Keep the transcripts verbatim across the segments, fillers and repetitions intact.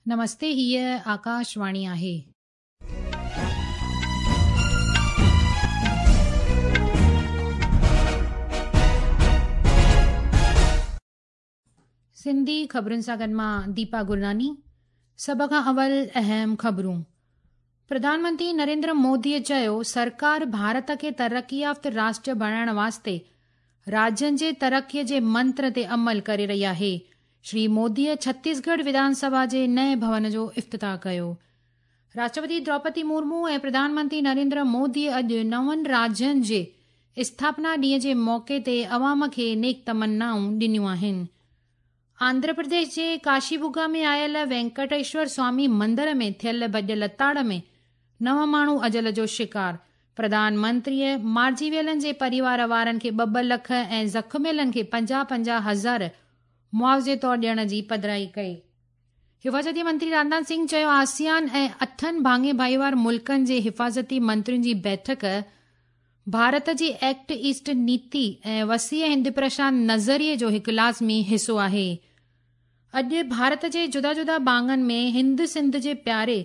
نمستي، هيءَ آڪاشواڻي آهي. سنڌي خبرن سان گڏ مان ديپا گرناني. سڀ کان اول اهم خبرون. پرڌان منتري نريندر موديءَ چيو، سرڪار ڀارت کي ترقي يافته راشٽر بڻائڻ واسطي راجين جي ترقيءَ جي منتر تي عمل ڪري رهي آهي. شري موديءَ ڇتيسڳڙهه وڌان سڀا جي نئين ڀون جو افتتاح ڪيو. راشٽرپتي دروپدي مرمو ۽ پرڌان منتري نريندر موديءَ اڄ نون راجين جي اسٿاپنا ڏينهن جي موقعي تي عوام کي نيڪ تمنائون ڏنيون آهن. آنڌرا پرديش جي ڪاشيبگا ۾ آيل وينڪٽيشور سوامي مندر ۾ ٿيل ڀڄ لتاڙ ۾ نو ماڻهو اجل جو شڪار. پرڌان منتريءَ مارجي ويلن جي پريوار وارن کي ٻه ٻه لک ۽ زخميلن کي پنجاهه پنجاهه هزار معاوضي طور ڏيڻ جي پڌرائي ڪئي. حفاظتي منتري راجناٿ سنگهه چيو، آسيان ۽ اٺن ڀاڱي ڀائيوار ملڪن جي حفاظتي منترين جي بيٺڪ ڀارت جي ايڪٽ ايسٽ نيتي ۽ وسيع هند پرشانت نظريي جو هڪ لازمي حصو آهي. اڄ ڀارت جي جدا جدا ڀاڱن ۾ هند سنڌ جي پياري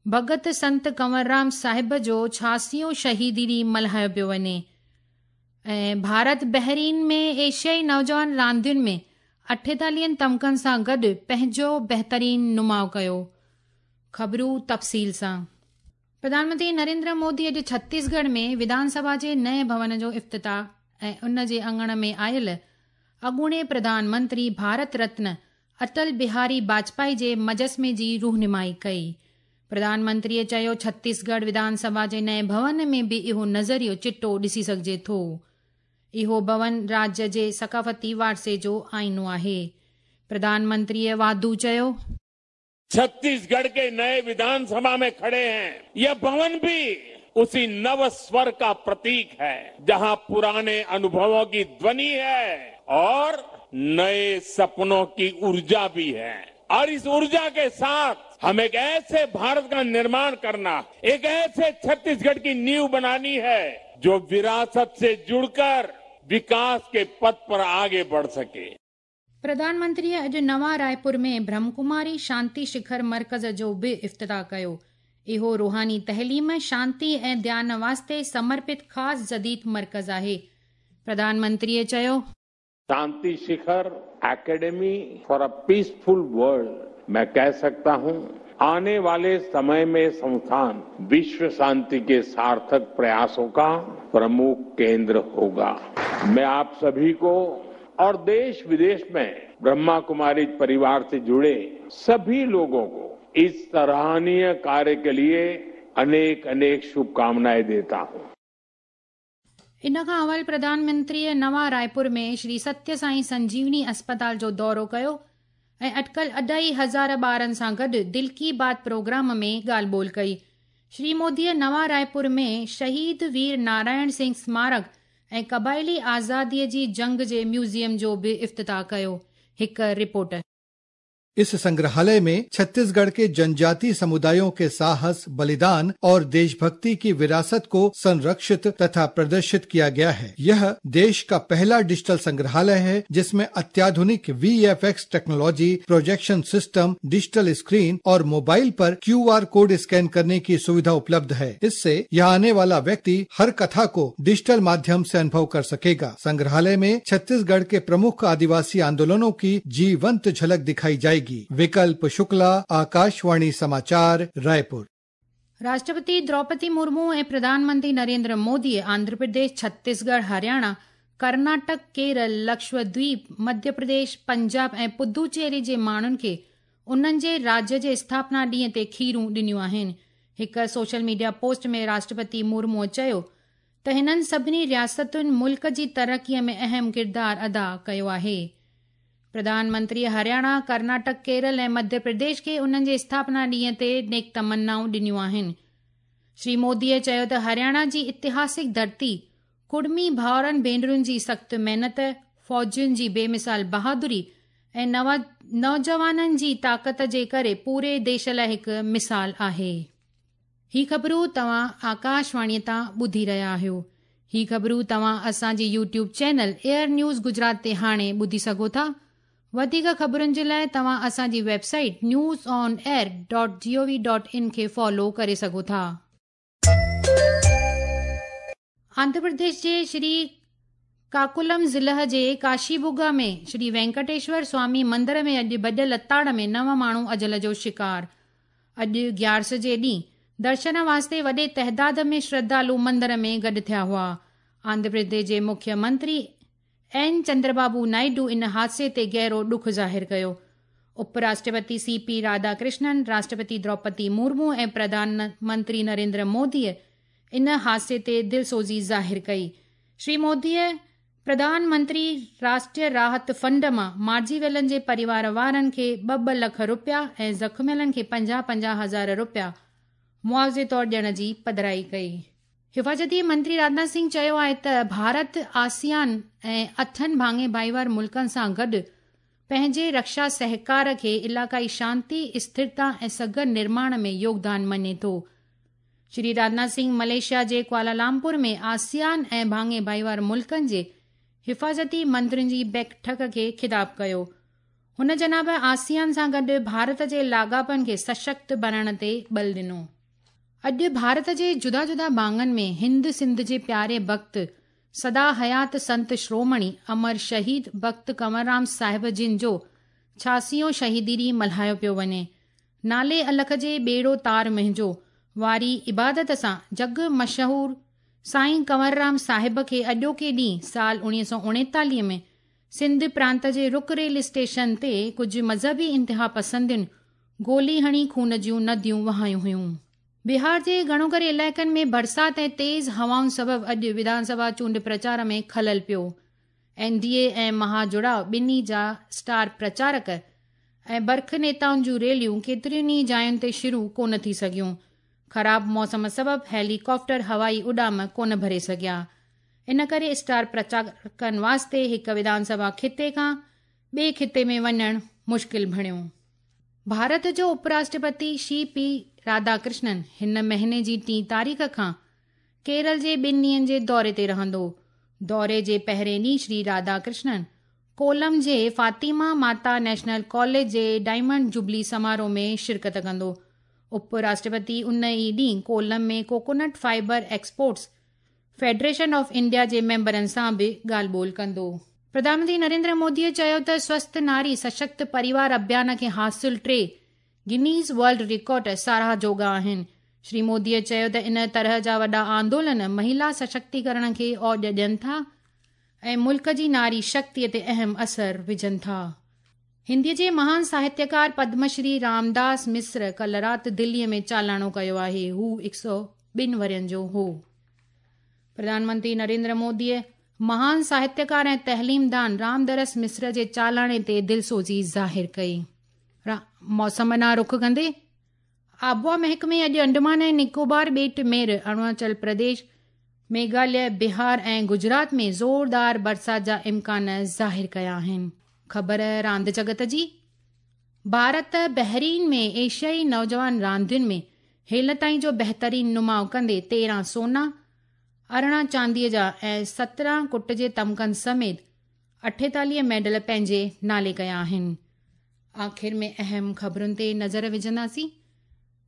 ڀڳت سنت ڪنور رام صاحب جو ڇهاسيون شهيدي ڏينهن ملهايو پيو وڃي. ۽ ڀارت بحرين ۾ ايشيائي نوجوان راندين ۾ اٺيتاليهن تمغن سان گڏ پنهنجو بهترين نماءُ ڪيو. خبرون تفصيل سان. پرڌان منتري نريندر مودي اڄ ڇتيسڳڙهه ۾ وڌان سڀا جي نئين ڀون جو افتتاح ۽ ان جي اڱڻ ۾ آيل اڳوڻي پرڌان منتري ڀارت رتن اٽل بهاري واجپائي جي مجسمي جي رونمائي ڪئي. پرڌان منتريءَ چيو، ڇتيسڳڙهه وڌان سڀا جي نئين ڀون ۾ به اهو نظريو چٽو ڏسي سگهجي ٿو. اهو ڀون راجيه جي ثقافتي وارثي جو آئينو آهي. پرڌان منتريءَ واڌو چيو، छत्तीसगढ़ के नए विधानसभा में खड़े हैं। यह भवन भी उसी नव स्वर का प्रतीक है, जहां पुराने अनुभवों की ध्वनि है और नए सपनों की ऊर्जा भी है। और इस ऊर्जा के साथ हम एक ऐसे भारत का निर्माण करना, एक ऐसे छत्तीसगढ़ की नींव बनानी है जो विरासत से जुड़कर विकास के पथ पर आगे बढ़ सके। प्रधानमंत्रीअ अॼु नवां रायपुर में ब्रह्मकुमारी शांति शिखर मर्कज़ जो बि इफ्तिताह कयो। इहो रूहानी तहलीम, शांति ऐं ध्यान वास्ते समर्पित ख़ासि जदीद मर्कज़ आहे। प्रधानमंत्रीअ चयो, Shanti Shikhar academy for a peaceful world, मैं कह सकता हूं आने वाले समय में संस्थान विश्व शांति के सार्थक प्रयासों का प्रमुख केंद्र होगा। मैं आप सभी को और देश विदेश में ब्रह्मा कुमारी परिवार से जुड़े सभी लोगों को इस सराहनीय कार्य के लिए अनेक अनेक शुभकामनाएं देता हूं। इन खां अवल प्रधानमंत्रीअ नवां रायपुर में श्री सत्य साईं संजीवनी अस्पताल जो दौरो कयो ऐं अटकल अढाई हज़ार ॿारनि सां गॾु दिल की बात प्रोग्राम में ॻाल्हि ॿोल कई। श्री मोदीअ नवां रायपुर में शहीद वीर नारायण सिंह स्मारक ऐं क़बाइली आज़ादीअ जी जंग जे म्यूज़ियम जो बि इफ्तिताह कयो। हिकु रिपोर्ट। इस संग्रहालय में छत्तीसगढ़ के जनजाति समुदायों के साहस, बलिदान और देशभक्ति की विरासत को संरक्षित तथा प्रदर्शित किया गया है। यह देश का पहला डिजिटल संग्रहालय है जिसमें अत्याधुनिक V F X technology, projection system, digital screen और मोबाइल पर क्यू आर कोड स्कैन करने की सुविधा उपलब्ध है। इससे यहाँ आने वाला व्यक्ति हर कथा को डिजिटल माध्यम से अनुभव कर सकेगा। संग्रहालय में छत्तीसगढ़ के प्रमुख आदिवासी आंदोलनों की जीवंत झलक दिखाई जाएगी। विकल्प शुक्ला, आकाशवाणी समाचार, रायपुर। राष्ट्रपति द्रौपदी मुर्मू ऐं प्रधानमंत्री नरेंद्र मोदीअ आंध्र प्रदेश, छत्तीसगढ़, हरियाणा, कर्नाटक, केरल, लक्षद्वीप, मध्य प्रदेश, पंजाब ऐं पुदुचेरी जे माण्हुनि खे उन्हनि जे राज्य जे स्थापना ॾींहं ते खीरूं ॾिनियूं आहिनि। हिकु सोशल मीडिया पोस्ट में राष्ट्रपति मुर्मूअ चयो त हिननि सभिनी रियासतुनि मुल्क जी तरक़ीअ में अहम किरदारु अदा कयो आहे। प्रधानमंत्री हरियाणा, कर्नाटक, केरल ऐं मध्य प्रदेश खे उन्हनि जे स्थापना ॾींहं ते नेक तमन्नाऊं ॾिनियूं आहिनि। श्री मोदीअ चयो त हरियाणा जी ऐतिहासिक धरती कुड़मी भाउरनि भेनरुनि जी सख़्तु महिनत, फ़ौजियुनि जी बेमिसाल बहादुरी ऐं नौजवाननि जी ताक़त जे करे पूरे देश लाइ हिकु मिसाल आहे। ही ख़बरूं तव्हां आकाशवाणीअ तां ॿुधी रहिया आहियो। ही ख़बरूं तव्हां असांजे YouTube channel air news Gujarat ते हाणे ॿुधी सघो था। वधीक ख़बरुनि जे लाइ तव्हां असांजी website news on air dot G O V dot in खे फॉलो करे सघो था। आंध्र प्रदेश जे श्री काकुलम ज़िले जे काशीबुगा में श्री वेंकटेश्वर स्वामी मंदिर में अॼु भॼ लताड़ में नव माण्हू अजल जो शिकार। अॼु ग्यारस जे ॾींहुं दर्शन वास्ते वॾे तइदाद में श्रद्धालु मंदिर में गॾु थिया हुआ। आंध्र प्रदेश जे मुख्यमंत्री एन चंद्रबाबू नायडू इन हादसे ते गहरो ॾुख ज़ाहिर कयो। उपराष्ट्रपति सी पी राधाकृष्णन, राष्ट्रपति द्रौपदी मुर्मू ऐं प्रधानमंत्री नरेंद्र मोदीअ इन हादसे ते दिलसोज़ी ज़ाहिर कई। श्री मोदीअ प्रधानमंत्री राष्ट्रीय राहत फंड मां मारिजी वियलनि जे परिवार वारनि खे ॿ ॿ लख रुपया ऐं ज़ख़्मियलनि खे पंजाह पंजाह हज़ार रुपया मुआवज़े तौर ॾियण जी पधराई कई। हिफाज़ती मंत्री राजनाथ सिंह चयो आहे त भारत आसियान ऐं अठनि भाङे भाईवार मुल्कनि सां गॾु पंहिंजे रक्षा सहकार खे इलाइक़ाई शांति, स्थिरता ऐं सघ निर्माण में योगदान मञे थो। श्री राजनाथ सिंह मलेशिया जे कुआलालंपुर में आसियान ऐं भाङे भाईवार मुल्कनि जे हिफाज़ती मंत्रियुनि जी बैठक खे ख़िताब कयो। हुन जनाब आसियान सां गॾु भारत जे लाॻापनि खे सशक्त बणाइण ते बल ॾिनो। अॼु भारत जे जुदा जुदा भाङनि में हिंद सिंध जे प्यारे भक्त सदा हयात संत श्रोमणी अमर शहीद भक्त कंवरराम साहिब जिन जो छासीओं शहीदी ॾींहुं मल्हायो पियो वञे। नाले अलख जे ॿेड़ो तार मुंहिंजो वारी इबादत सां जग मशहूर साईं कंवरराम साहिब खे अॼोके ॾींहुं साल उणिवीह सौ उणेतालीह में सिंध प्रांत जे रुक रेल स्टेशन ते कुझु मज़हबी इंतिहा पसंदियुनि गोली हणी खून जूं नदियूं वहायूं हुयूं। बिहार जे घणो करे इलाइक़नि में बरसात ऐं तेज़ हवाउनि सबबु अॼु विधानसभा चूंड प्रचार में ख़लल पियो। एन डी ए ऐं महाजुड़ाव ॿिन्ही जा स्टार प्रचारक ऐं बरख नेताउनि जूं रैलियूं केतिरियुनि ई जायुनि ते शुरू कोन थी सघियूं। ख़राब मौसम सबबु हेलीकॉप्टर हवाई उॾाम कोन भरे सघिया। इन करे स्टार प्रचारकनि वास्ते हिकु विधानसभा खिते खां ॿिए खिते में वञणु मुश्किल बणियो। भारत जो उपराष्ट्रपति श्री पी राधाकृष्णन हिन महीने जी टीं तारीख़ खां केरल जे ॿिनि ॾींहंनि जे दौरे ते रहंदो। दौरे जे पहिरें ॾींहुं श्री राधाकृष्णन कोलम जे फातिमा माता नेशनल कॉलेज जे डायमंड जुबली समारोह में शिरकत कंदो। उपराष्ट्रपति उन ई ॾींहुं कोलम में coconut fibre exports federation of India जे मेंबरनि सां बि ॻाल्हि ॿोल कंदो। प्रधानमंत्री नरेंद्र मोदीअ चयो त स्वस्थ नारी सशक्त परिवार अभियान खे हासिल टे गिनीज वर्ल्ड रिकॉर्ड साराह जोगा आहिनि। श्री मोदीअ चयो त इन तरह जा वॾा आंदोलन महिला सशक्तिकरण खे औज ॾियनि था ऐं मुल्क जी नारी शक्तिअ ते अहम असर विझनि था। हिंदीअ जे महान साहित्यकार पद्मश्री रामदास मिश्र कल राति दिल्लीअ में चालाणो कयो आहे। हू हिकु सौ ॿिनि वरनि जो हो। प्रधानमंत्री नरेंद्र मोदीअ महान साहित्यकार ऐं तहलीमदान रामदरस मिश्र जे चालाणे ते दिलसोज़ी ज़ाहिर कई। मौसम ॾांहुं रुख कंदे आबहावा महकमे अॼु अंडमान ऐं निकोबार ॿेट मेर, अरुणाचल प्रदेश, मेघालय, बिहार ऐं गुजरात में ज़ोरदार बरसात जा इम्कान ज़ाहिर कया आहिनि। ख़बर रांदि जगत जी, भारत बहरीन में एशियाई नौजवान रांदियुनि में हेल ताईं जो बहितरीन नुमाउ कंदे तेरहं सोना, अरिड़हं चांदीअ जा ऐं सतरहं कुट जे तमकनि समेत अठेतालीह मेडल पंहिंजे नाले कया आहिनि। आख़िर में अहम ख़बरुनि ते नज़र विझंदासीं।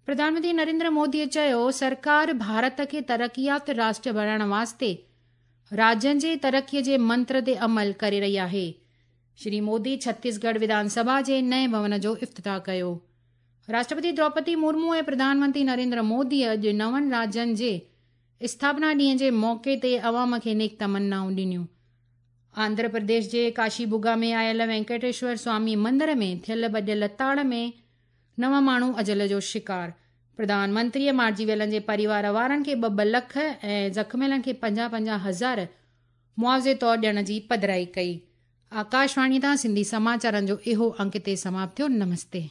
प्रधानमंत्री नरेंद्र मोदीअ चयो सरकार भारत खे तरक़ियात राष्ट्र बणाइण वास्ते राज्यनि जे तरक़ीअ जे मंत्र ते अमल करे रही आहे। श्री मोदी छत्तीसगढ़ विधानसभा जे नए भवन जो इफ्तिताह कयो। राष्ट्रपति द्रौपदी मुर्मू ऐं प्रधानमंत्री नरेंद्र मोदी अॼु नवनि राज्यनि जे स्थापना ॾींहं जे मौक़े ते अवाम खे नेक तमन्नाऊं ॾिनियूं। आंध्र प्रदेश जे काशीबुगा में आयल वेंकटेश्वर स्वामी मंदिर में थियल भॼ लताड़ में नव माण्हू अजल जो शिकार। प्रधानमंत्रीअ मारिजी वियलनि जे परिवार वारनि खे ॿ ॿ लख ऐं ज़ख़्मियलनि खे पंजाह पंजाह हज़ार मुआवज़े तौर ॾियण जी पधराई कई। आकाशवाणी तां सिंधी समाचारनि जो इहो अंक हिते समाप्त थियो। नमस्ते।